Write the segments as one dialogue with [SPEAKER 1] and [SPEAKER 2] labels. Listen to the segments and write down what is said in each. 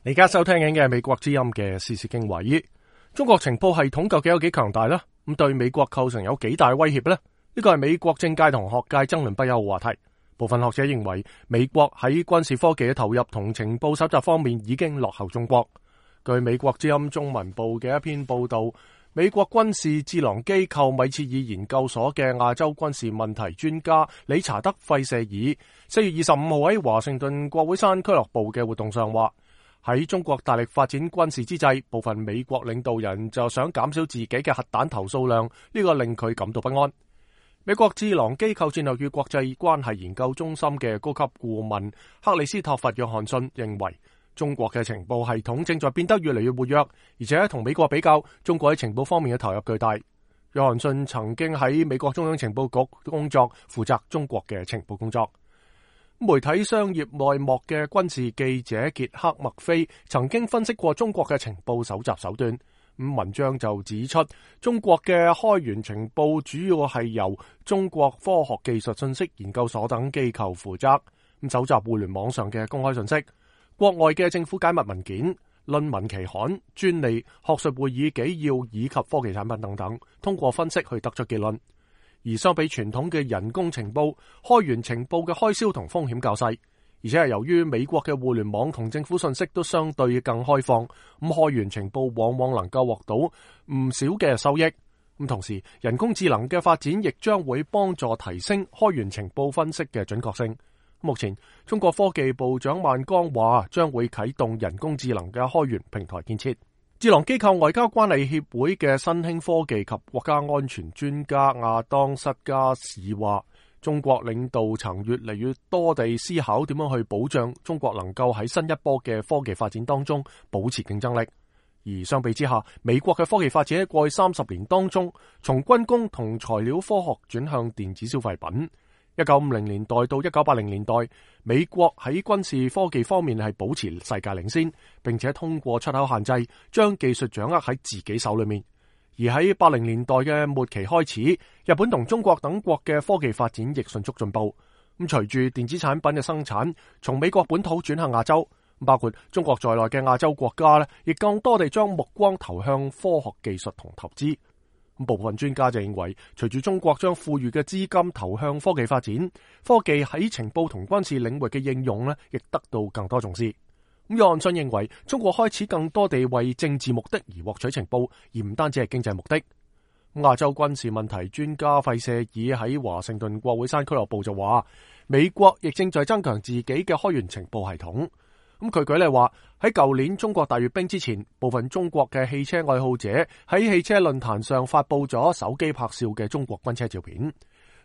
[SPEAKER 1] 你而家收聽緊嘅係美國之音嘅時事經緯。中國情報系統究竟有幾強大呢？咁對美國構成有幾大威脅呢？呢個係美國政界同學界爭論不休嘅話題。部分學者認為，美國喺軍事科技嘅投入同情報搜集方面已經落後中國。據美國之音中文部嘅一篇報道，美國軍事智囊機構米切爾研究所嘅亞洲軍事問題專家理查德·費舍爾4月25號喺華盛頓國會山俱樂部嘅活動上話，喺中國大力發展軍事之際，部分美國領導人就想減少自己嘅核彈頭數量，呢個令佢感到不安。美國智囊機構戰略與國際關係研究中心嘅高級顧問克里斯托弗·約翰遜認為，中國嘅情報系統正在變得越嚟越活躍，而且同美國比較，中國喺情報方面嘅投入巨大。約翰遜曾經喺美國中央情報局工作，負責中國嘅情報工作。媒體商業內幕嘅軍事記者傑克麥菲曾經分析過中國嘅情報搜集手段。文章就指出，中國嘅開源情報主要係由中國科學技術信息研究所等機構負責，搜集互聯網上嘅公開信息、國外嘅政府解密文件、論文期刊、專利、學術會議紀要以及科技產品等等，通過分析去得出結論。而相比傳統嘅人工情報，開源情報嘅開銷同風險較細，而且係由於美國嘅互聯網同政府信息都相對更開放，咁開源情報往往能夠獲到唔少嘅收益。咁同時，人工智能嘅發展亦將會幫助提升開源情報分析嘅準確性。目前，中國科技部長萬鋼話將會啟動人工智能嘅開源平台建設。智囊機構外交關係協會嘅新興科技及國家安全專家亞當塞加士話，中國領導層越嚟越多地思考點樣去保障中國能夠喺新一波嘅科技發展當中保持競爭力。而相比之下，美國嘅科技發展喺過去30年當中，從軍工同材料科學轉向電子消費品。1950年代到1980年代，美國喺軍事科技方面係保持世界領先，並且通過出口限制，將技術掌握喺自己手裏面。而喺80年代嘅末期開始，日本同中國等國嘅科技發展亦迅速進步。咁隨住電子產品嘅生產從美國本土轉向亞洲，包括中國在內嘅亞洲國家咧，亦更多地將目光投向科學技術同投資。部分專家就認為，隨住中國將富裕嘅資金投向科技發展，科技喺情報同軍事領域嘅應用咧，亦得到更多重視。約翰遜認為，中國開始更多地為政治目的而獲取情報，而唔單止係經濟目的。亞洲軍事問題專家費舍爾喺華盛頓國會山俱樂部就話，美國亦正在增強自己嘅開源情報系統。佢舉例話，喺舊年中國大閱兵之前，部分中國嘅汽車愛好者喺汽車論壇上發佈咗手機拍攝嘅中國軍車照片。呢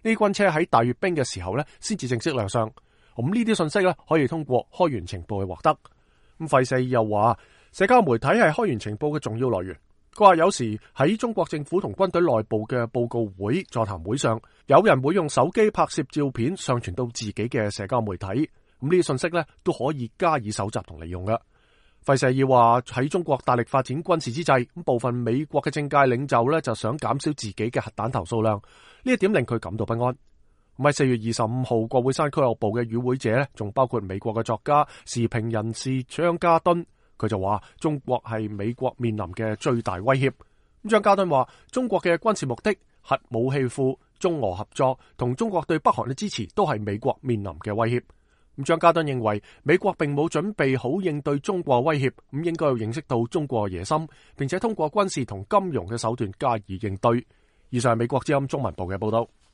[SPEAKER 1] 啲軍車喺大閱兵嘅時候咧，先至正式亮相。咁呢啲信息咧，可以通過開源情報去獲得。費舍爾又話，社交媒體係開源情報嘅重要來源。佢話有時喺中國政府同軍隊內部嘅報告會、座談會上，有人會用手機拍攝照片上傳到自己嘅社交媒體。咁呢啲信息咧，都可以加以搜集同利用嘅。費舍爾話，喺中國大力發展軍事之際，部分美國嘅政界領袖咧就想減少自己嘅核彈頭數量，呢一點令佢感到不安。喺4月25號國會山俱樂部嘅與會者咧，仲包括美國嘅作家、時評人士張家敦，佢就話中國係美國面臨嘅最大威脅。張家敦話，中國嘅軍事目的、核武器庫、中俄合作同中國對北韓嘅支持都係美國面臨嘅威脅。張家敦認為美國並冇準備好應對中國威脅，應該要認識到中國嘅野心，並且通過軍事同金融嘅手段加以應對。以上係美國之音中文部嘅報道。